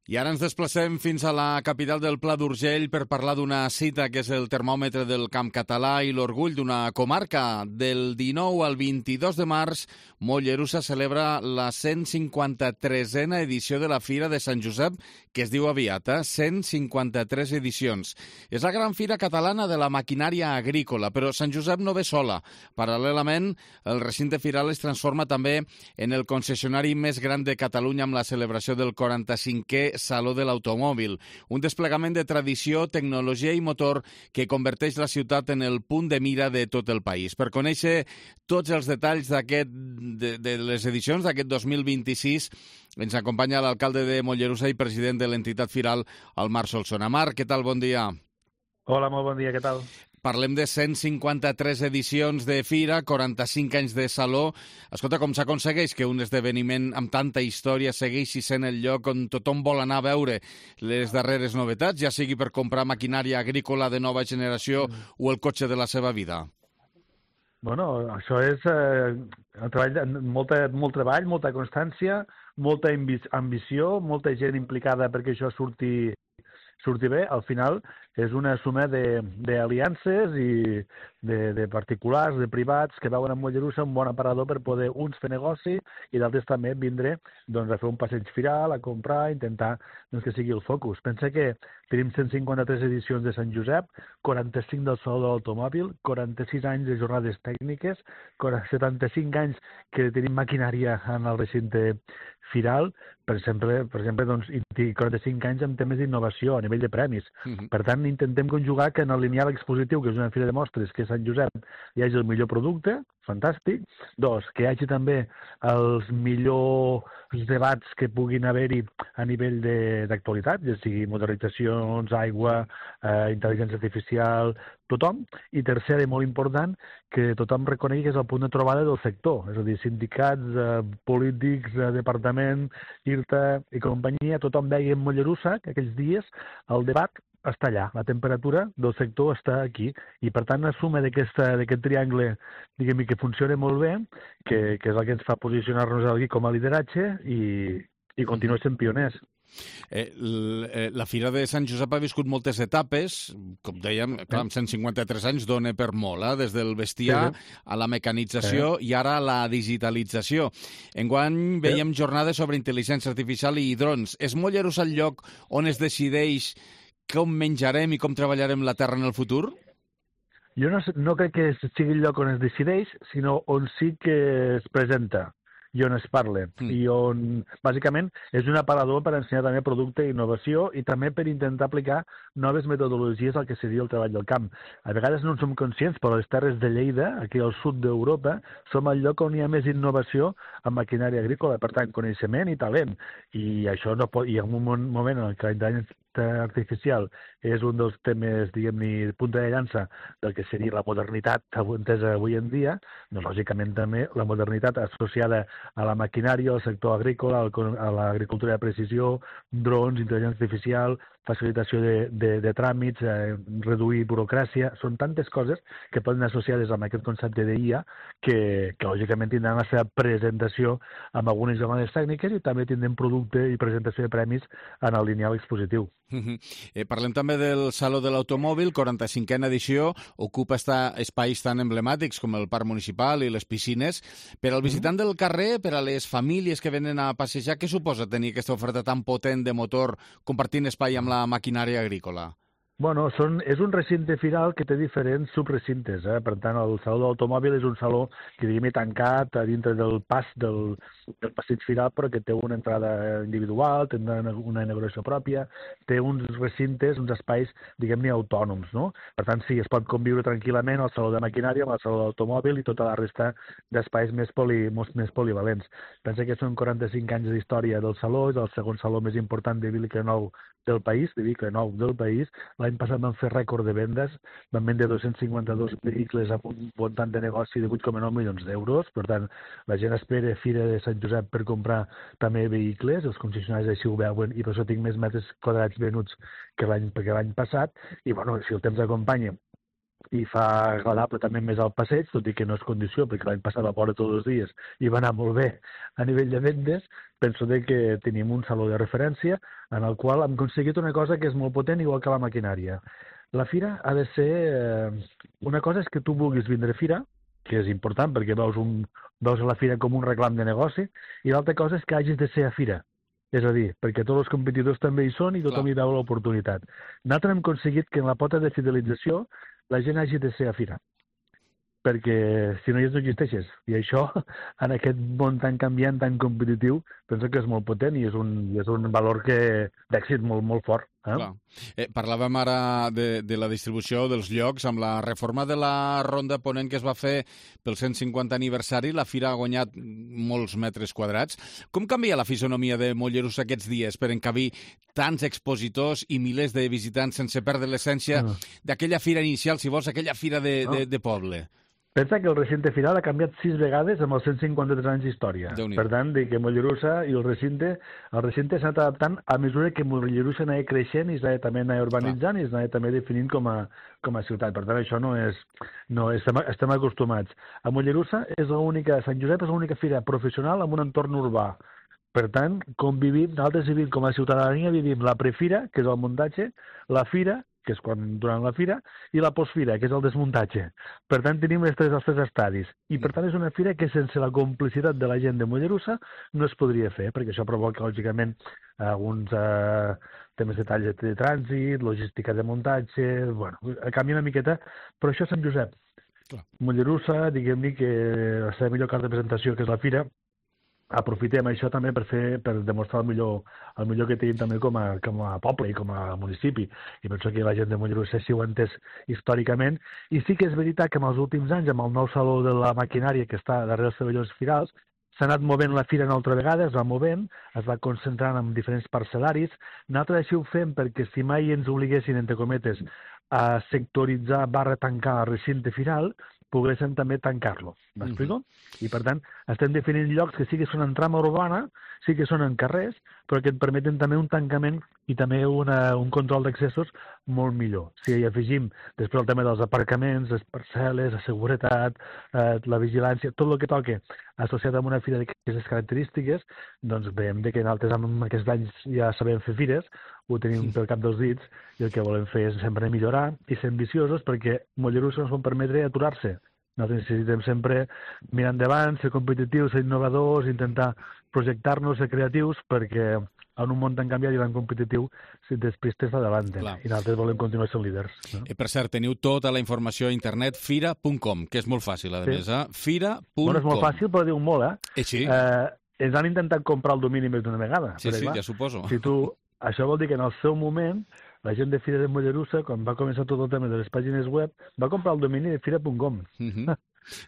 I ara ens desplacem fins a la capital del Pla d'Urgell per parlar d'una cita que és el termòmetre del camp català i l'orgull d'una comarca. Del 19 al 22 de març, Mollerussa celebra la 153a edició de la Fira de Sant Josep, que es diu aviat, 153 edicions. És la gran fira catalana de la maquinària agrícola, però Sant Josep no ve sola. Paral·lelament, el recinte firal es transforma també en el concessionari més gran de Catalunya amb la celebració del 45è Saló de l'Automòbil, un desplegament de tradició, tecnologia i motor que converteix la ciutat en el punt de mira de tot el país. Per conèixer tots els detalls de les edicions d'aquest 2026, ens acompanya l'alcalde de Mollerussa i president de l'entitat firal, el Marc Solsona. Marc, què tal? Bon dia. Hola, molt bon dia, què tal? Parlem de 153 edicions de fira, 45 anys de saló. Escolta, com s'aconsegueix que un esdeveniment amb tanta història segueixi sent el lloc on tothom vol anar a veure les darreres novetats, ja sigui per comprar maquinària agrícola de nova generació o el cotxe de la seva vida? Bueno, això és molt treball, molta constància, molta ambició, molta gent implicada perquè això surti bé. Al final és una suma d'aliances i de particulars, de privats, que veuen a Mollerussa un bon aparador per poder uns fer negoci i d'altres també vindre a fer un passeig firal, a comprar, a intentar que sigui el focus. Pensa que tenim 153 edicions de Sant Josep, 45 del Saló de l'Automòbil, 46 anys de jornades tècniques, 75 anys que tenim maquinària en el recinte firal, per exemple, i 45 anys amb temes d'innovació a nivell de premis. Per tant, intentem conjugar que en el lineal expositiu, que és una fira de mostres, que és Sant Josep, hi hagi el millor producte, fantàstic. Dos, que hi hagi també els millors debats que puguin haver-hi a nivell d'actualitat, ja sigui modernitzacions, aigua, intel·ligència artificial, tothom. I tercer, i molt important, que tothom reconegui que és el punt de trobada del sector, és a dir, sindicats, polítics, departament, IRTA i companyia, tothom veia en Mollerussa que aquells dies el debat està allà, la temperatura del sector està aquí, i per tant la suma d'aquest triangle, diguem-ne, que funciona molt bé, que és el que ens fa posicionar-nos aquí com a lideratge i continuar sent pioners. La Fira de Sant Josep ha viscut moltes etapes, com dèiem, clar, amb 153 anys dona per molt, des del bestiar a la mecanització i ara a la digitalització. Enguany veiem jornades sobre intel·ligència artificial i drons. És Mollerussa el lloc on es decideix com menjarem i com treballarem la terra en el futur? Jo no crec que sigui el lloc on es decideix, sinó on sí que es presenta i on es parla, i on, bàsicament, és un aparador per ensenyar també producte i innovació i també per intentar aplicar noves metodologies al que seria el treball del camp. A vegades no en som conscients, però les terres de Lleida, aquí al sud d'Europa, som el lloc on hi ha més innovació en maquinària agrícola, per tant, coneixement i talent. I això no pot, i en un moment en què l'intel·ligència artificial és un dels temes, diguem-ne, punta de llança del que seria la modernitat entesa avui en dia, doncs, lògicament, també la modernitat associada a la maquinària, al sector agrícola, a l'agricultura de precisió, drons, intel·ligència artificial, facilitació de tràmits, reduir burocràcia, són tantes coses que poden associades amb aquest concepte d'IA que lògicament tindran la seva presentació amb algunes jornades tècniques i també tindrem producte i presentació de premis en el lineal expositiu. Parlem també del Saló de l'Automòbil, 45a edició, ocupa espais tan emblemàtics com el Parc Municipal i les piscines. Per al visitant del carrer, per a les famílies que venen a passejar, què suposa tenir aquesta oferta tan potent de motor compartint espai amb la maquinària agrícola? Bueno, és un recinte firal que té diferents subrecintes. Per tant, el Saló de l'Automòbil és un saló que, diguem-ne, tancat a dintre del pas del passeig firal, però que té una entrada individual, té una inauguració pròpia, té uns recintes, uns espais, diguem-ne, autònoms, no? Per tant, sí, es pot conviure tranquil·lament al Saló de Maquinària, amb el Saló de l'Automòbil i tota la resta d'espais més polivalents. Pensa que són 45 anys d'història del saló, és el segon saló més important de vehicle nou del país, L'any passat vam fer rècord de vendes, vam vendre 252 vehicles amb un muntant de negoci de 8,9 milions d'euros. Per tant, la gent espera Fira de Sant Josep per comprar també vehicles, els concessionaris així ho veuen, i per això tinc més metres quadrats venuts que l'any passat. I, bueno, si el temps acompanya i fa agradable també més al passeig, tot i que no és condició, perquè l'any passat va fora tots els dies i va anar molt bé a nivell de vendes. Penso que tenim un saló de referència en el qual hem aconseguit una cosa que és molt potent, igual que la maquinària. La fira ha de ser... Una cosa és que tu vulguis vindre a fira, que és important perquè veus la fira com un reclam de negoci, i l'altra cosa és que hagis de ser a fira. És a dir, perquè tots els competidors també hi són i tothom hi veu l'oportunitat. Nosaltres hem aconseguit que en la pota de fidelització la gent hagi de ser a fira, perquè si no no existeixes. I això, en aquest món tan canviant, tan competitiu, penso que és molt potent i és un valor d'èxit molt, molt fort. Parlàvem ara de la distribució dels llocs. Amb la reforma de la Ronda Ponent que es va fer pel 150 aniversari, la fira ha guanyat molts metres quadrats. Com canvia la fisonomia de Mollerussa aquests dies per encabir tants expositors i milers de visitants sense perdre l'essència d'aquella fira inicial, si vols, aquella fira de poble? Pensa que el recinte final ha canviat 6 vegades amb els 153 anys d'història. Per tant, que Mollerussa i el recinte s'han anat adaptant a mesura que Mollerussa anava creixent i també anava urbanitzant i s'anava també definint com a ciutat. Per tant, això estem acostumats. A Mollerussa Sant Josep és l'única fira professional amb un entorn urbà. Per tant, nosaltres vivim com a ciutadania, vivim la prefira, que és el muntatge, la fira, que és durant la fira, i la postfira, que és el desmuntatge. Per tant, tenim els tres estadis. I, per tant, és una fira que sense la complicitat de la gent de Mollerussa no es podria fer, perquè això provoca, lògicament, alguns temes de tall de trànsit, logística de muntatge... Bueno, canvia una miqueta, però això és Sant Josep. Mollerussa, diguem-ne que la seva millor carta de presentació, que és la fira, aprofitem això també per demostrar el millor que tenim també com a poble i com a municipi. I penso que la gent de Mollerussa sí ho ha entès històricament. I sí que és veritat que en els últims anys, amb el nou saló de la maquinària que està darrere els pavellons firals, s'ha anat movent la fira una altra vegada, es va movent, es va concentrant en diferents parcel·laris. Nosaltres així ho fem perquè si mai ens obliguessin, entre cometes, a sectoritzar / tancar el recinte firal, poguéssim també tancar-lo. M'explico? I, per tant, estem definint llocs que sí que són en trama urbana, sí que són en carrers, però que et permeten també un tancament i també un control d'accessos molt millor. Si hi afegim després el tema dels aparcaments, les parcel·les, la seguretat, la vigilància, tot el que toque associat amb una fira d'aquestes característiques, doncs veiem que nosaltres amb aquests anys ja sabem fer fires, ho tenim pel cap dels dits, i el que volem fer és sempre millorar i ser ambiciosos perquè Mollerussa no ens pot permetre aturar-se. Nosaltres necessitem sempre mirar endavant, ser competitius, ser innovadors, intentar projectar-nos, ser creatius, perquè en un món tan canviat i tan competitiu, si despistes t'adavanten. I nosaltres volem continuar sent líders. Per cert, teniu tota la informació a internet, fira.com, que és molt fàcil, a més. Fira.com. Bueno, és molt fàcil, però diu molt, Sí. Ens han intentat comprar el domini més d'una vegada. Sí, ja suposo. Això vol dir que en el seu moment la gent de Fira de Mollerussa, quan va començar tot el tema de les pàgines web, va comprar el domini de fira.com.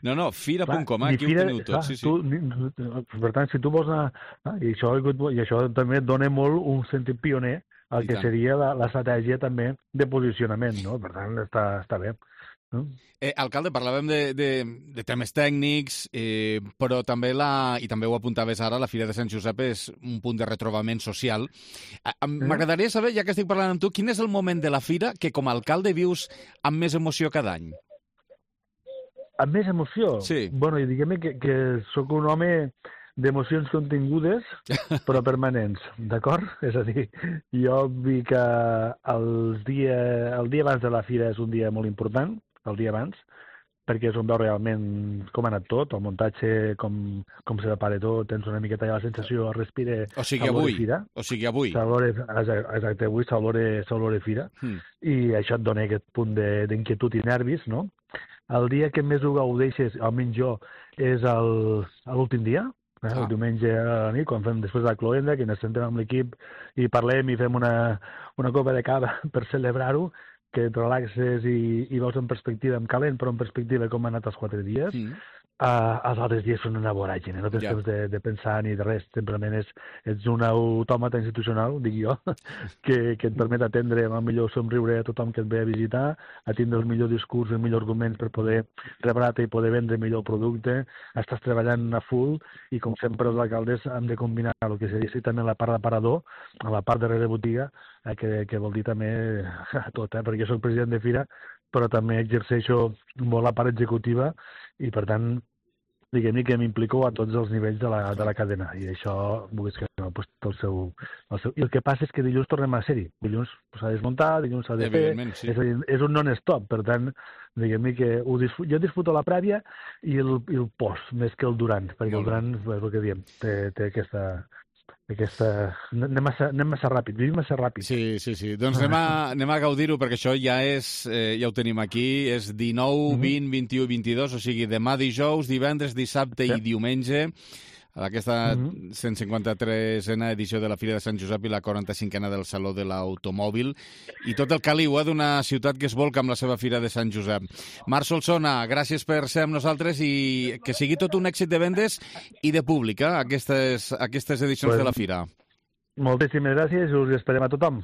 No, fira.com, aquí ho teniu tot. Per tant, si tu vols anar... I això també dona molt un sentit pioner al que seria l'estratègia també de posicionament, no? Per tant, està bé. Alcalde, parlàvem de temes tècnics, però també, i també ho apuntaves ara, la Fira de Sant Josep és un punt de retrobament social. M'agradaria saber, ja que estic parlant amb tu, quin és el moment de la Fira que com a alcalde vius amb més emoció cada any? Amb més emoció? Sí. Bueno, diguem que sóc un home d'emocions contingudes, però permanents, d'acord? És a dir, jo vi que el dia abans de la Fira és un dia molt important, el dia abans, perquè és on veus realment com ha anat tot, el muntatge, com se prepara tot, tens una miqueta ja la sensació, respira... O sigui, avui. Exacte, avui s'olora Fira, i això et dona aquest punt d'inquietud i nervis, no? El dia que més ho gaudeixes, almenys jo, és l'últim dia, el diumenge a la nit, quan fem després de la cloenda, que ens sentem amb l'equip i parlem i fem una copa de cava per celebrar-ho, que et relaxes i veus en perspectiva, en calent, però en perspectiva com han anat els 4 dies. Els altres dies són una voràgine, no tens temps de pensar ni de res, simplement ets un autòmata institucional, dic jo, que et permet atendre amb el millor somriure a tothom que et ve a visitar, a tindre el millor discurs, el millor argument per poder rebre-te i poder vendre millor producte, estàs treballant a full i com sempre els alcaldes hem de combinar el que seria també la part d'aparador, a la part de botiga, que vol dir també tot, perquè jo soc president de Fira, però també exerceixo molt la part executiva i, per tant, diguem-ne que m'implico a tots els nivells de la cadena, i això, vulguis que no, doncs, té el seu... I el que passa és que dilluns tornem a ser-hi. Dilluns s'ha de desmuntar, dilluns s'ha de fer... Sí. És a dir, és un non-stop, per tant, diguem-ne que jo disfruto la prèvia i el post, més que el durant, perquè el durant, és el que diem, té aquesta... Anem massa ràpid, vivim massa ràpid. Sí. Doncs anem a gaudir-ho, perquè això ja ho tenim aquí, és 19, 20, 21 i 22, o sigui, demà dijous, divendres, dissabte i diumenge, aquesta 153a edició de la Fira de Sant Josep i la 45a del Saló de l'Automòbil, i tot el caliu d'una ciutat que es volca amb la seva Fira de Sant Josep. Marc Solsona, gràcies per ser amb nosaltres i que sigui tot un èxit de vendes i de públic, aquestes edicions de la Fira. Moltíssimes gràcies i us esperem a tothom.